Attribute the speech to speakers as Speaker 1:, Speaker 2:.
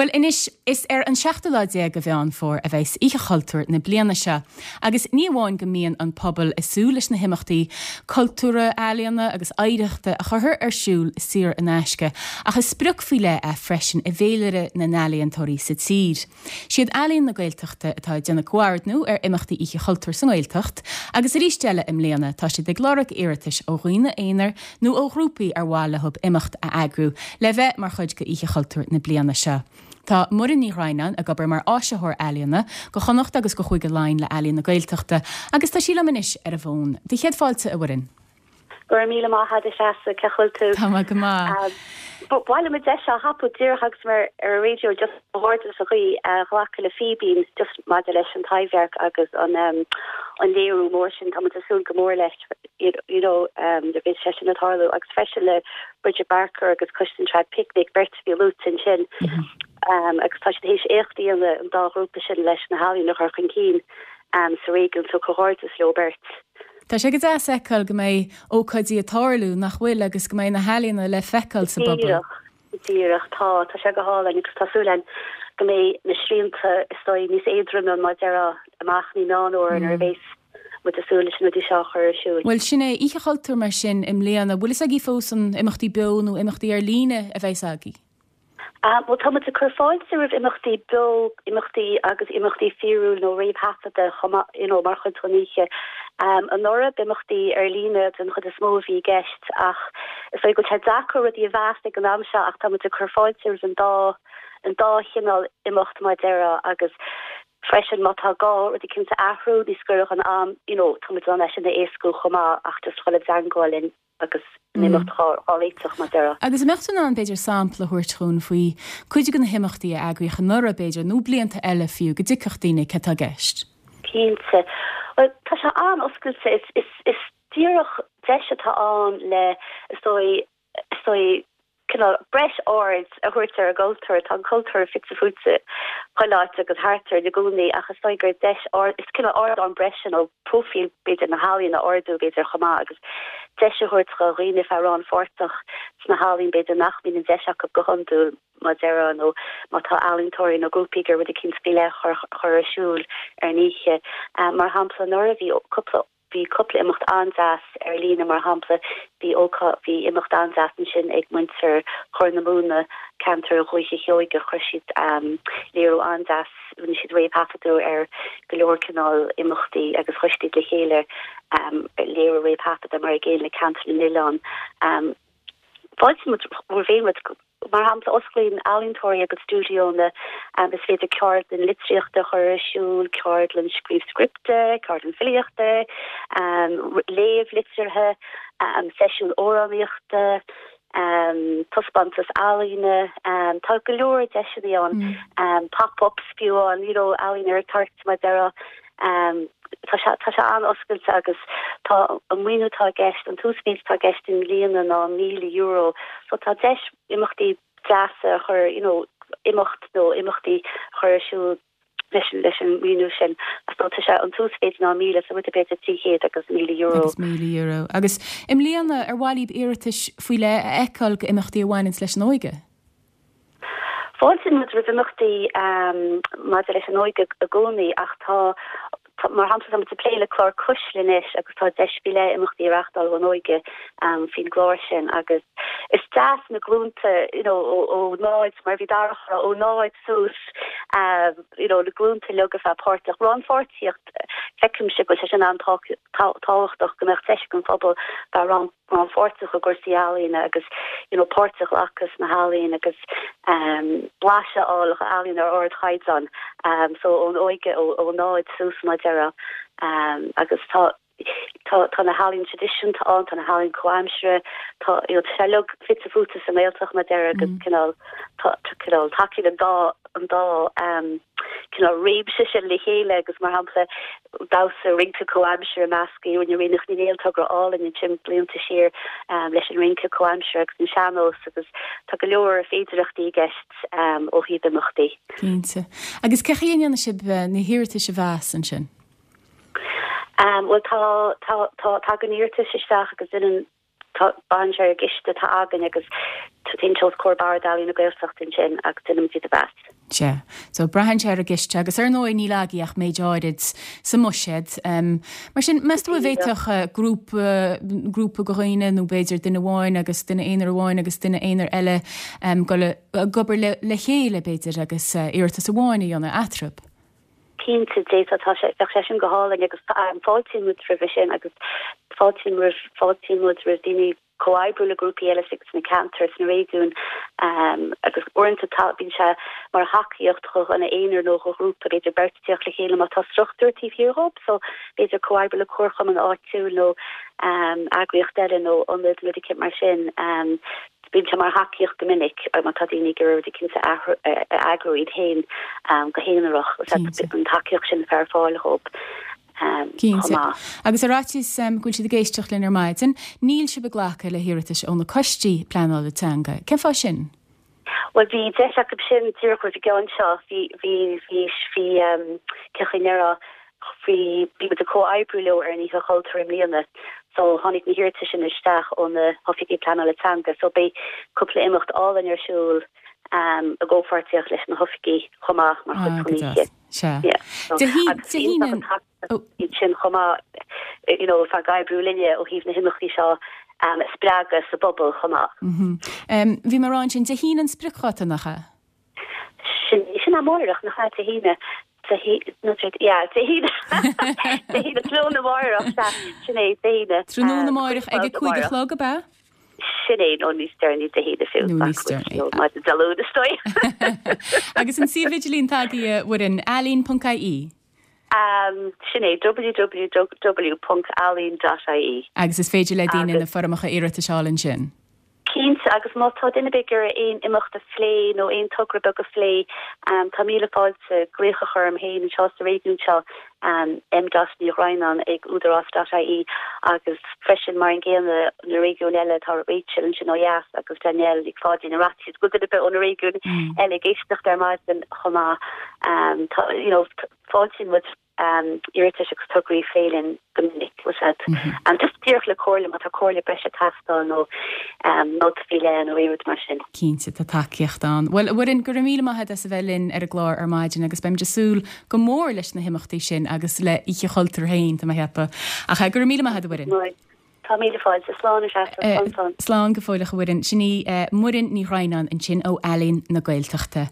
Speaker 1: Bhuel anois, is ar an seachtú lá déag de Mheán Fómhair a bheas Oíche Chultúir na bliana seo. Agus ní amháin go mbíonn an pobal ag súil leis na himeachtaí cultúrtha, ealaíona agus oidhreachta a chuirtear ar siúl saor in aisce, ach is sprioc faoi leith é freisin i bhféilire na n-ealaíontóirí sa tír. Siad Ealaín na Gaeltachta atá ag déanamh comhordnú ar imeachtaí Oíche Chultúir sa nGaeltacht agus arís eile i mbliana tá siad ag lorg iarratais ó dhaoine aonair nó ó ghrúpaí ar mhaith leo imeacht a eagrú le bheith mar chuid de Oíche Chultúir na bliana seo. Tá Muireann Ní Dhroighneáin ag obair mar áisitheoir ealaíona go Chonnacht agus go Chúige Laighean le Ealaíon na Gaeltachta agus tá sí liom anois ar an bhfón. Do chéad fáilte, a Mhuireann.
Speaker 2: Go raibh míle maith agat, a Threasa, cén chaoi a bhfuil tú?
Speaker 1: Tá mé go maith.
Speaker 2: Ba mhaith liom an deis seo a thapú díreach agus mé ar an raidió just comhghairdeas a ghlacadh le Fíbín just maidir leis an Taibhdhearc agus an an léiriú mór sin. Tá muid ag súil go mór leis you know nuair a bheidh sé sin ag tarlú agus freisin le Bridget Barker agus Coiste an Traidphicnic, beirt a bhí luaite ansin agus tá siad théis éacht a dhéanamh an dá ghrúpa sin leis na healaíona a chur chun cinn sa réigiún so comhghairdeas leo beirt.
Speaker 1: Tá sé go deas a fheiceáil go mbeidh ócáidí ag tarlú, nach bhfuil, agus go mbeidh na healaíona le feiceáil sa bpobal.
Speaker 2: Díreach, díreach, tá, tá sé go hálainn agus tá súil againn go mbeidh na srianta is dóigh níos éadroime mar a déarfá amach i Meán Fhómhair nuair a bheas muid ag súil leis na rudaí seo a chur ar siúl.
Speaker 1: Bhuel, sin é, Oíche Chultúir mar sin i mbliana. Bhfuil fhios agaibh fós an imeachtaí beo nó imeachtaí ar líne a bheas agaibh?
Speaker 2: Bhuel, tá muid ag cur fáilte roimh imeachtaí beo, imeachtaí agus imeachtaí fíorúil nó réamhthaifeadta chomh maith, you know, mar chuid den oíche. Anuraidh, b'imeachtaí ar líne den chuid is mó a bhí i gceist ach is dóigh go bhfuil sé deacair rudaí a mheas ag an am seo ach tá muid ag cur fáilte roimh an dá, an dá chineál imeacht mar a déarfá agus freisin má tá gá rud eicínt a athrú níos gaire don am, you know, tá muid in ann é sin a éascú chomh maith ach just dhul i dteangmháil linn. agus an imeacht á réiteach mar a déarfá.
Speaker 1: Agus an mbeadh tú in ann, b'fhéidir, sampla a thabhairt dhúinn faoi cuid de na himeachtaí a eagraíodh anuraidh, b'fhéidir, nó blianta eile fiú, go dtuigfeadh daoine céard atá i gceist?
Speaker 2: Cinnte. Bhuel, tá sé an-oscailte. Is, is, is díreach deis atá ann le, is dóigh, is dóigh, cineál breis aird a thabhairt ar an gcultúr. Tá an cultúr fite fuaite chuile áit agus thart orainn i gcónaí ach is dóigh gur deis is cineál ardán breise nó próifíl b'fhéidir na healaíon a ardú b'fhéidir chomh maith agus deis a thabhairt do dhaoine bheith rannpháirteach sna healaíon b'fhéidir nach mbíonn an deis acu go hiondúil mar a déarfá nó má tá ealaíontóirí nó grúpaí ag iarraidh rud eicínt faoi leith a chur ar siúl ar an oíche. Mar shampla anuraidh bhí cúpla Bhí cúpla imeacht an-deas ar líne, mar shampla, bhí ócáid, bhí imeacht an-deas ansin ag muintir Chorr na Móna, ceantar Dhúiche Sheoigeach, chuir siad léiriú an-deas, rinne siad réamhthaifeadadh ar go leor cineál imeachtaí agus chuir siad le chéile léiriú réamhthaifeadta mar an gcéanna le Ceantar na nOileán. Fáiltíonn muid roimh aon rud. Mar shampla, osclaíonn ealaíontóirí a gcuid stiúideónna, is féidir ceardlann litríochta a chur ar siúl, ceardlann scríobh scripte, ceardlann filíochta, léamh liteartha, seisiún amhránaíochta, taispeántas ealaíne, tá go leor deiseanna ann, pop-ups fiú ann, you know, ealaín ar an toirt mar a déarfá. Tá sé, tá sé an-oscailte agus tá an maoiniú atá i gceist, an t-uasmhéid atá i gceist i mbliana ná €1,000 so tá deis imeachtaí deasa a chur, you know, imeacht nó imeachtaí a chur ar siúl leis an, leis an maoiniú sin. So tá sé, an t-uasmhéid ná 1,000 so rud ar bith idir 300
Speaker 1: agus €1,000. Agus €1,000. Agus i mbliana, ar mhaith libh iarratais faoi leith a fheiceáil go imeachtaí a bhaineanns leis an óige?
Speaker 2: Fáiltíonn muid roimh imeachtaí maidir leis an óige i gcónaí ach tá, mar shampla, tá muid ag plé le clár Cuisle anois agus tá deis faoi leith imeachtaí a reáchtáil don óige faoin gclár sin agus is deas na glúnta you know ó náid, mar a bhí Darach a rá, ó náid suas you know na glúnta uilig a bheith páirteach. Rannpháirtíocht, feicimse go bhfuil sé sin an-tábhachtach go mbeadh deis ag an phobal bheith rannpháirteach. rannpháirteach i gcúrsaí ealaíne agus you know páirt a ghlacadh sna healaíona agus blaiseadh a fháil d'ealaíon ar ardchaighdeán so ón óige ó náid suas mar a déarfá agus tá tá tá na healaíona traidisiúnta ann, tá na healaíona comhaimseartha, tá you know tá sé uilig fite fuaite sa nGaeltacht mar a déarfá agus cineál tá cineál tacaíonn an dá an dá cineál réimse sin le chéile agus mar shampla damhsa rince comhaimseartha measctha. Rinne Ríonach Ní Néill togra álainn ansin blianta siar leis an rince comhaimseartha agus an sean-nós agus tá go leor féidireachtaí i gceist ó thaobh imeachtaí.
Speaker 1: Cinnte. Agus cén chaoi a ndéanann sibh na hiarratais a mheas ansin?
Speaker 2: Bhuel tá, tá, tá, tagann iarratais isteach agus déanann, Tá, braitheann sé ar an gciste atá againn agus. Téann sé os comhair Bord Ealaíon na Gaeltachta ansin agus déanaimid iad a mheas.
Speaker 1: Sea. So, braitheann sé ar an gciste agus ar ndóigh níl agaibh ach méid áirid sa mbuiséad. Mar sin, meas tú an bhféadfadh grúpa, grúpa de dhaoine nó b'fhéidir duine amháin agus duine aonair amháin agus duine aonair eile dul ag obair le chéile b'fhéidir agus iarratas amháin a dhéanamh eatarthu?
Speaker 2: Cinnte, d'fhéadfadh, tá sé, bheadh sé sin go hálainn agus fáiltíonn muid roimhe sin agus fáiltíonn roimh, fáiltíonn muid roimh daoine comhoibriú le grúpaí eile sna ceantair, sna réigiúin agus uaireanta tá, bíonn sé mar thacaíocht do dhuine aonair nó do ghrúpa, b'fhéidir beirt ag tíocht le chéile má tá struchtúr taobh thiar dhóibh so b'fhéidir comhoibriú le comharchumann áitiúil nó eagraíocht eile nó ionad nó rud eicínt mar sin. Bíonn sé mar thacaíocht go minic má tá daoine ag iarraidh rud eicínt a eagrú iad féin go haonarach, an tacaíocht sin a bheith ar fáil dhóibh.
Speaker 1: chomh maith. Agus ar fhaitíos go bhfuil siad ag éisteacht linn ar maidin, níl sibh ag glacadh le hiarratais ó na coistí pleanála teanga. Cén fáth sin?
Speaker 2: Bhuel, bhí deis acu sin díreach roimh an gceann seo. Bhí, bhí, bhí, bhí, cén chaoi a ndéarfá, bhí, bhí muid ag comhoibriú leo ar an Oíche Chultúir i mbliana. So, tháinig na hiarratais sin isteach ó na hoifigigh pleanála teanga. So, beidh cúpla imeacht álainn ar siúl i gcomhpháirtíocht leis na hoifigigh chomh maith mar chuid den oíche.
Speaker 1: Sea. Dé hAoine.
Speaker 2: Iad sin chomh maith, you know, ag oibriú linne ó thaobh na himeachtaí seo a spreagadh sa bpobal chomh maith.
Speaker 1: Bhí mé ag rá ansin, Dé hAoine an spriocdháta, nach ea?
Speaker 2: Sin, sin amárach, nach ea, Dé hAoine. Dé hAoine, nó Dé, yeah, Dé hAoine. Dé hAoine, tráthnóna amárach, sea, sin é, Dé
Speaker 1: hAoine. Tráthnóna amárach ag a 5 a chlog, ab ea?
Speaker 2: Sin é, nó níos deireanaí Dé hAoine fiú. Nó níos deireanaí. Nó maidin Dé Luain, is dóigh.
Speaker 1: Agus an suíomh idirlín atá agaibh, a Mhuireann, ealaín.ie?
Speaker 2: Sin é, www.ealaín.ie.
Speaker 1: Agus is féidir le daoine na foirmeacha iarratais a fháil ansin?
Speaker 2: Cinnte, agus má tá duine ar bith ag iarraidh aon imeacht a phlé nó aon togra beag a phlé, tá míle fáilte glaoch a chur orm féin anseo sa réigiún seo, M dot Ní Dhroighneáin ag údarás dot ie agus freisin mar an gcéanna na réigiúin eile tá Rachel ansin ó dheas agus Danielle Nic Pháidín ar fhaitíos go bhfuil duine ar bith ó na réigiúin eile ag éisteacht ar maidin chomh maith. Tá you know fáiltíonn muid iarratais agus tograí a phlé linn go minic bhfuil a fhios agat. Just díreach le comhairle má tá comhairle breise ag teastáil nó nóta faoi leith nó aon rud mar sin.
Speaker 1: Cinnte, tá tacaíocht ann. Bhuel, a Mhuireann, go raibh míle maith agat as a bheith linn ar an gclár ar maidin agus beimid ag súil go mór leis na himeachtaí sin agus le Oíche Chultúir féin, tá mé ag ceapadh. Ach go raibh míle maith agat, a Mhuireann.
Speaker 2: Tá míle fáilte. Slán a Threasa. Slán,
Speaker 1: slán. Slán go fóilleach, a Mhuireann. Sin í Muireann Ní Dhroighneáin ansin ó Ealaín na Gaeltachta.